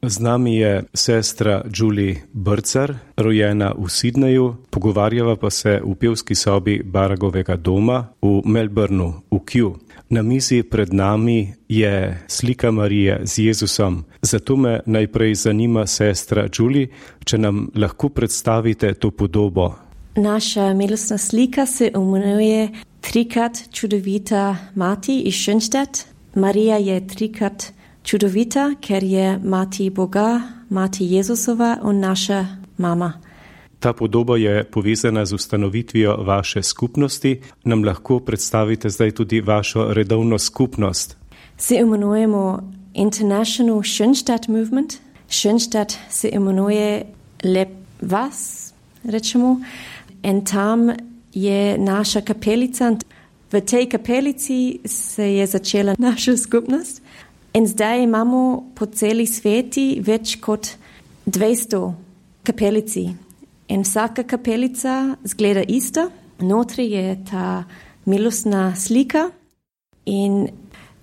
Z nami je sestra Julie Brcar, rojena v Sydneyju, pogovarjava pa se v pevski sobi Baragovega doma v Melbourneu, v Kew. Na mizi pred nami je slika Marije z Jezusom. Zato me najprej zanima, sestra Julie, če nam lahko predstavite to podobo. Naša milostna slika se imenuje Trikrat čudovita mati iz Schönstadt. Marija je trikrat čudovita, ker je mati Boga, mati Jezusova in naša mama. Ta podoba je povezana z ustanovitvijo vaše skupnosti. Nam lahko predstavite zdaj tudi vašo redovno skupnost? Se imenujemo International Schönstadt Movement. Schönstadt se imenuje Lep vas, rečemo. In tam je naša kapelica. V tej kapelici se je začela naša skupnost. In zdaj imamo po celi sveti več kot 200 kapelici. In vsaka kapelica zgleda ista. Notri je ta milostna slika. In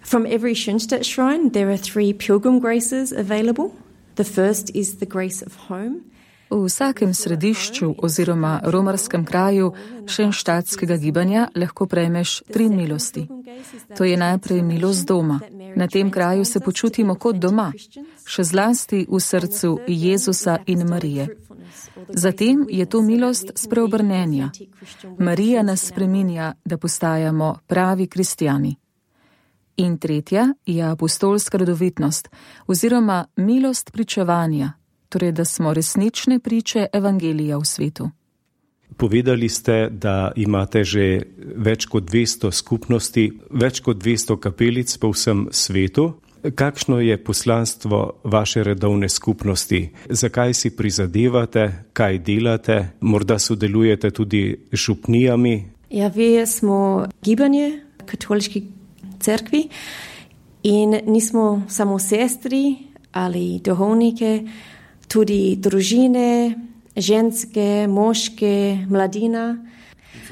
from every Schönstadt shrine there are 3 pilgrim graces available. The first is the grace of home. V vsakem središču oziroma romarskem kraju šenštadtskega gibanja lahko prejmeš 3 milosti. To je najprej milost doma. Na tem kraju se počutimo kot doma, še zlasti v srcu Jezusa in Marije. Zatem je to milost spreobrnenja. Marija nas spreminja, da postajamo pravi kristjani. In tretja je apostolska rodovitnost oziroma milost pričevanja, torej da smo resnične priče evangelija v svetu. Povedali ste, da imate že več kot 200 skupnosti, več kot 200 kapelic po vsem svetu. Kakšno je poslanstvo vaše redovne skupnosti? Zakaj si prizadevate, kaj delate? Morda sodelujete tudi z župnijami? Ja, vi smo gibanje katoliške cerkvi in nismo samo sestri ali duhovnike, tudi družine, ženske, moške, mladina.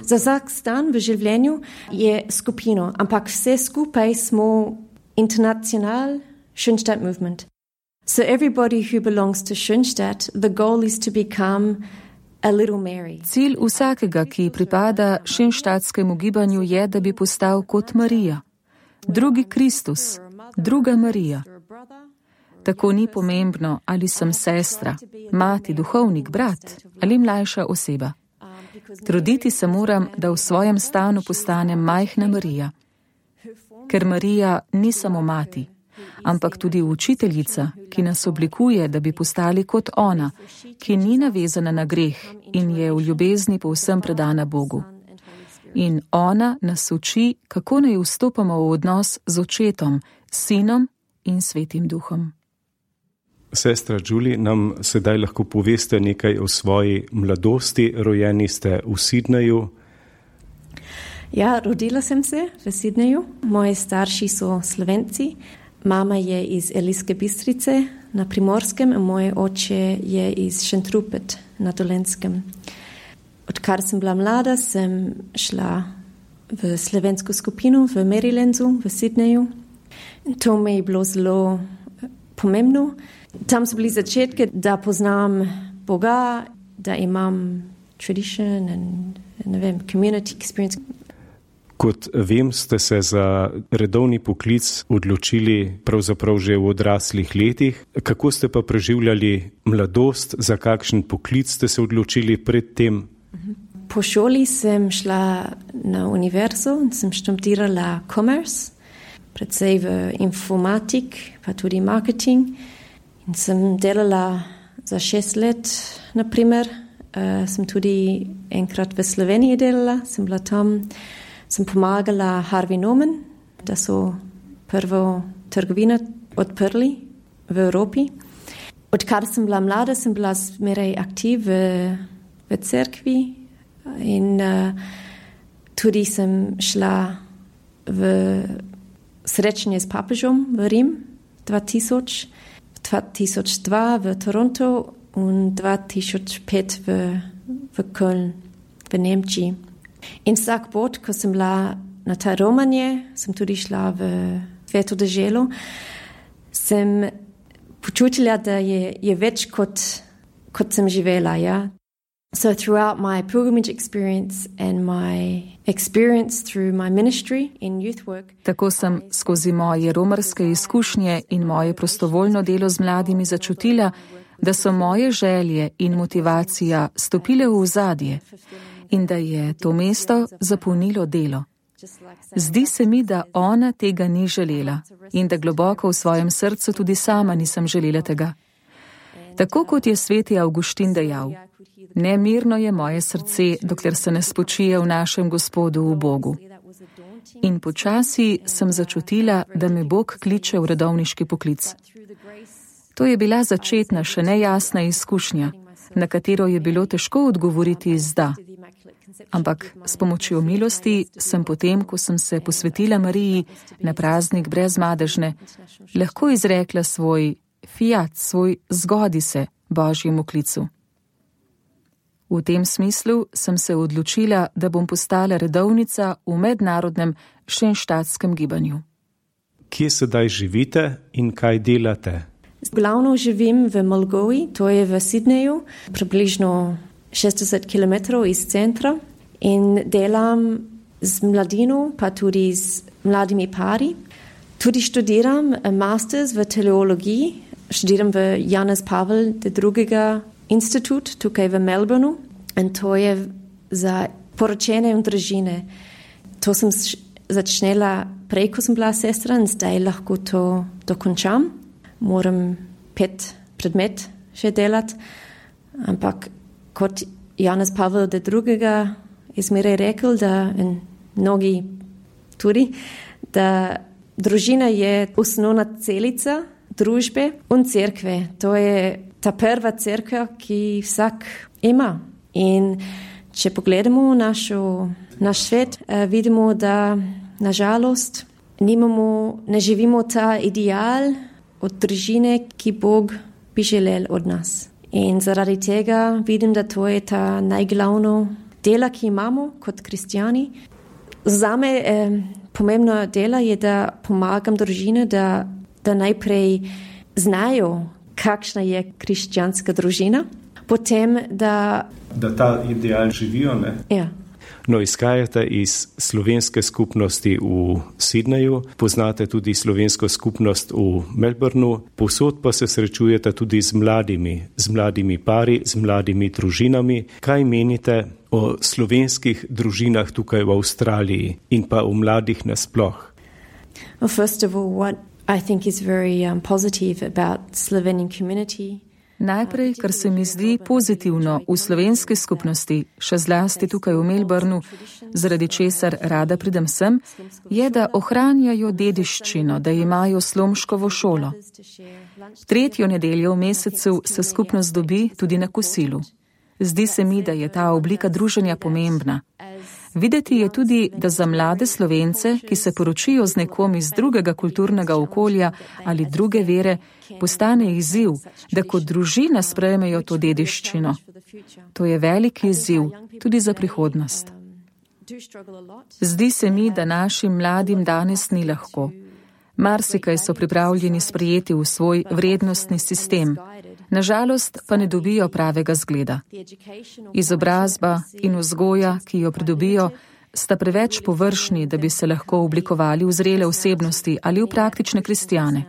Za vsak stan v življenju je skupino, ampak vse skupaj smo International Schönstadt Movement. So everybody who belongs to Schönstadt, the goal is to become a little Mary. Cilj vsakega, ki pripada šenštadtskemu gibanju, je, da bi postal kot Marija. Drugi Kristus, druga Marija. Tako ni pomembno, ali sem sestra, mati, duhovnik, brat ali mlajša oseba. Truditi se moram, da v svojem stanu postanem majhna Marija. Ker Marija ni samo mati, ampak tudi učiteljica, ki nas oblikuje, da bi postali kot ona, ki ni navezana na greh in je v ljubezni povsem predana Bogu. In ona nas uči, kako naj vstopamo v odnos z očetom, sinom in svetim duhom. Sestra Julie, nam sedaj lahko poveste nekaj o svoji mladosti. Rojeni ste v Sydneyju. Ja, rodila sem se v Sydneyju. Moji starši so Slovenci. Mama je iz Ilirske Bistrice na Primorskem in moj oče je iz Šentrupert na Dolenjskem. Odkar sem bila mlada, sem šla v slovensko skupino v Marylandu, v Sydneyju. In to mi je bilo zelo pomembno. Tam so bili začetki, da poznam Boga, da imam tradition and community experience. Kot vem, ste se za redovni poklic odločili pravzaprav že v odraslih letih. Kako ste pa preživljali mladost, za kakšen poklic ste se odločili pred tem? Po šoli sem šla na univerzo in sem študirala commerce, predvsej v informatik, pa tudi marketing. In sem delala za 6 let, naprimer. Sem tudi enkrat v Sloveniji delala, sem bila tam. Sem pomagala Harvey Norman, da so prvo trgovino odprli v Evropi. Odkar sem bila mlada, sem bila zmeraj aktiv v cerkvi in tudi sem šla v srečanje s papežom v Rim 2000, 2002 v Toronto in 2005 v Köln v Nemčiji. In vsak pot, ko sem bila na ta romanje, sem tudi šla v Sveto deželo, sem počutila, da je več kot sem živela, ja. So throughout my pilgrimage experience and my experience through my ministry in youth work. Tako sem skozi moje romarske izkušnje in moje prostovoljno delo z mladimi začutila, da so moje želje in motivacija stopile v ozadje in da je to mesto zapolnilo delo. Zdi se mi, da ona tega ni želela in da globoko v svojem srcu tudi sama nisem želela tega. Tako kot je sveti Avguštin dejal, nemirno je moje srce, dokler se ne spočije v našem Gospodu, v Bogu. In počasi sem začutila, da me Bog kliče v redovniški poklic. To je bila začetna, še nejasna izkušnja, na katero je bilo težko odgovoriti z da. Ampak s pomočjo milosti sem potem, ko sem se posvetila Mariji na praznik brezmadežne, lahko izrekla svoj fiat, svoj zgodi se Božjemu klicu. V tem smislu sem se odločila, da bom postala redovnica v mednarodnem šenštatskem gibanju. Kje sedaj živite in kaj delate? Glavno živim v Mulgovi, to je v Sydneyju, približno 60 km iz centra in delam z mladino, pa tudi z mladimi pari. Tudi študiram masters v teologiji, študiram v Janez Pavel II. Institut tukaj v Melbourneu in to je za poročene in družine. To sem začela prej, ko sem bila sestra in zdaj lahko to dokončam. Moram 5 predmet še delati, ampak kot Janez Pavel II. Je zmeraj rekel, da in mnogi tudi, da družina je osnovna celica družbe in cerkve. To je ta prva cerkev, ki vsak ima. In če pogledamo naš svet, vidimo, da nažalost ne živimo ta ideal od družine, ki Bog bi želel od nas. In zaradi tega vidim, da to je ta najglavno dela, ki imamo kot kristjani. Zame pomembno dela je, da pomagam družine, da najprej znajo, kakšna je krščanska družina, potem da ta ideal živijo, ne? Ja. No, izhajate iz slovenske skupnosti v Sydneyju, poznate tudi slovensko skupnost v Melbourneu, povsod pa se srečujete tudi z mladimi pari, z mladimi družinami. Kaj menite o slovenskih družinah tukaj v Avstraliji in pa o mladih nasploh? Well, first of all, what I think is very positive about Slovenian community. Najprej, kar se mi zdi pozitivno v slovenski skupnosti, še zlasti tukaj v Melbourneu, zaradi česar rada pridem sem, je, da ohranjajo dediščino, da imajo slomškovo šolo. 3. nedeljo v mesecu se skupnost dobi tudi na kosilu. Zdi se mi, da je ta oblika druženja pomembna. Videti je tudi, da za mlade Slovence, ki se poročijo z nekom iz drugega kulturnega okolja ali druge vere, postane izziv, da kot družina sprejmejo to dediščino. To je velik izziv tudi za prihodnost. Zdi se mi, da našim mladim danes ni lahko. Marsikaj so pripravljeni sprejeti v svoj vrednostni sistem. Nažalost pa ne dobijo pravega zgleda. Izobrazba in vzgoja, ki jo pridobijo, sta preveč površni, da bi se lahko oblikovali v zrele osebnosti ali v praktične kristjane.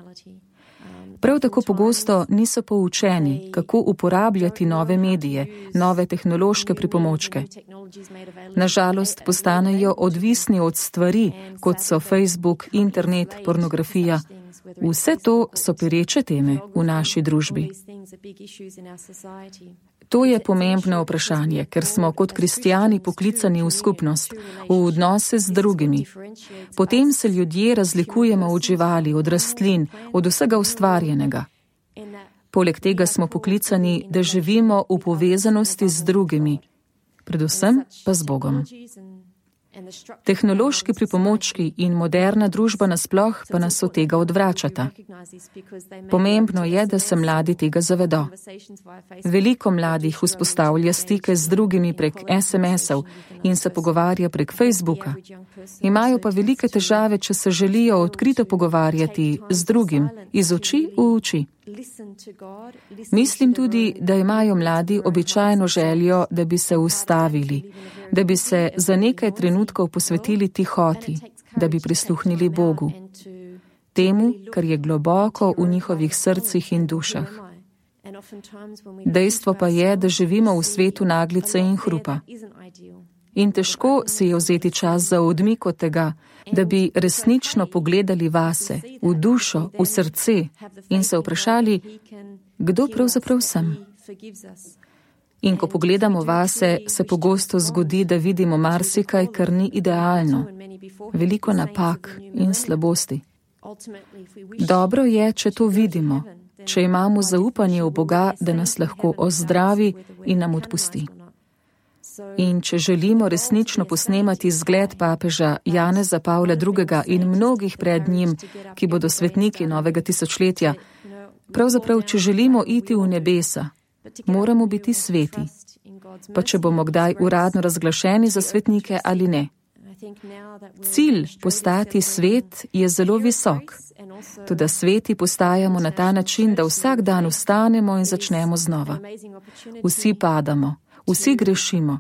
Prav tako pogosto niso poučeni, kako uporabljati nove medije, nove tehnološke pripomočke. Nažalost postanejo odvisni od stvari, kot so Facebook, internet, pornografija. Vse to so pereče teme v naši družbi. To je pomembno vprašanje, ker smo kot kristjani poklicani v skupnost, v odnose z drugimi. Potem se ljudje razlikujemo od živali, od rastlin, od vsega ustvarjenega. Poleg tega smo poklicani, da živimo v povezanosti z drugimi, predvsem pa z Bogom. Tehnološki pripomočki in moderna družba nasploh pa nas od tega odvračata. Pomembno je, da se mladi tega zavedo. Veliko mladih vzpostavlja stike z drugimi prek SMS-ov in se pogovarja prek Facebooka. Imajo pa velike težave, če se želijo odkrito pogovarjati z drugim, iz oči v oči. Mislim tudi, da imajo mladi običajno željo, da bi se ustavili, da bi se za nekaj trenutkov posvetili tihoti, da bi prisluhnili Bogu, temu, kar je globoko v njihovih srcih in dušah. Dejstvo pa je, da živimo v svetu naglice in hrupa. In težko si je vzeti čas za odmik od tega, da bi resnično pogledali vase, v dušo, v srce in se vprašali, kdo pravzaprav sem. In ko pogledamo vase, se pogosto zgodi, da vidimo marsikaj, kar ni idealno, veliko napak in slabosti. Dobro je, če to vidimo, če imamo zaupanje v Boga, da nas lahko ozdravi in nam odpusti. In če želimo resnično posnemati zgled papeža Janeza Pavla II. In mnogih pred njim, ki bodo svetniki novega tisočletja, pravzaprav, če želimo iti v nebesa, moramo biti sveti, pa če bomo kdaj uradno razglašeni za svetnike ali ne. Cilj postati svet je zelo visok, toda sveti postajamo na ta način, da vsak dan vstanemo in začnemo znova. Vsi padamo, vsi grešimo,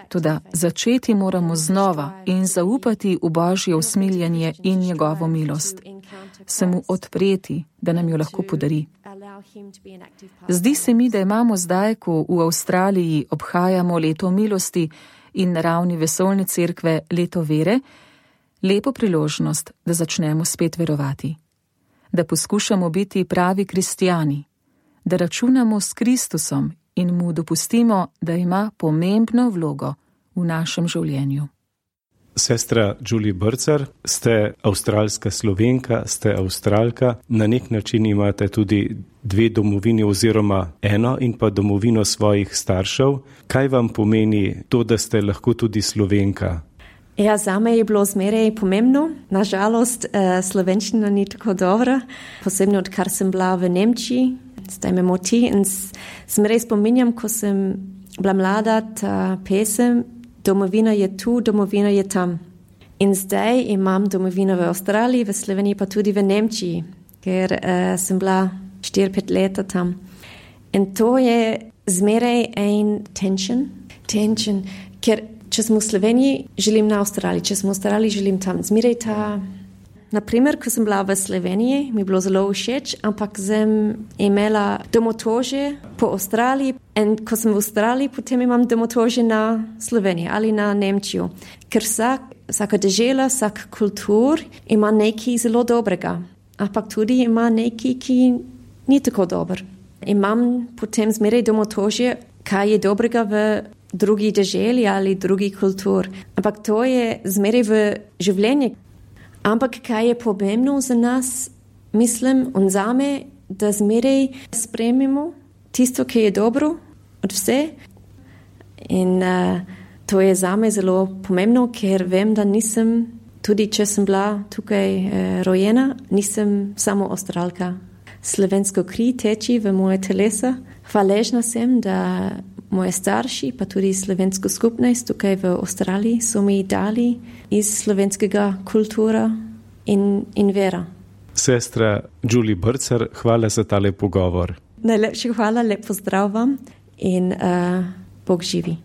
toda začeti moramo znova in zaupati v Božje usmiljenje in njegovo milost, se mu odpreti, da nam jo lahko podari. Zdi se mi, da imamo zdaj, ko v Avstraliji obhajamo leto milosti in na ravni vesoljne cerkve leto vere, lepo priložnost, da začnemo spet verovati, da poskušamo biti pravi kristjani, da računamo s Kristusom in mu dopustimo, da ima pomembno vlogo v našem življenju. Sestra Julie Brcar, ste avstralska Slovenka, ste Avstralka, na nek način imate tudi dve domovini oziroma eno in pa domovino svojih staršev. Kaj vam pomeni to, da ste lahko tudi Slovenka? Ja, zame je bilo zmeraj pomembno. Nažalost, slovenščina ni tako dobra, posebno odkar sem bila v Nemčiji, zdaj me moti in zmeraj spominjam, ko sem bila mlada, ta pesem, domovina je tu, domovina je tam. In zdaj imam domovino v Avstraliji, v Sloveniji pa tudi v Nemčiji, ker sem bila 4-5 leta tam. In to je zmeraj en tension, ker če smo v Sloveniji, želim na Avstraliji, če smo v Avstraliji, želim tam. Zmeraj ta, naprimer, ko sem bila v Sloveniji, mi je bilo zelo všeč, ampak sem imela domotožje po Avstraliji in ko sem v Avstraliji, potem imam domotožje na Sloveniji ali na Nemčijo. Ker vsaka dežela, vsak kultur ima nekaj zelo dobrega, ampak tudi ima nekaj, ki ni tako dober. Imam potem zmeraj domotožje, kaj je dobrega v drugi deželi ali drugi kultur. Ampak to je zmeraj v življenju. Ampak kaj je pomembno za nas, mislim in zame, da zmeraj sprejmemo tisto, ki je dobro od vse. In to je zame zelo pomembno, ker vem, da nisem, tudi če sem bila tukaj rojena, nisem samo Avstralka. Slovensko kri teči v moje telesa. Hvaležna sem, da moje starši, pa tudi slovensko skupnost tukaj v Avstraliji so mi dali iz slovenskega kultura in vera. Sestra Julie Brcar, hvala za tale pogovor. Najlepša hvala, lep pozdrav vam in Bog živi.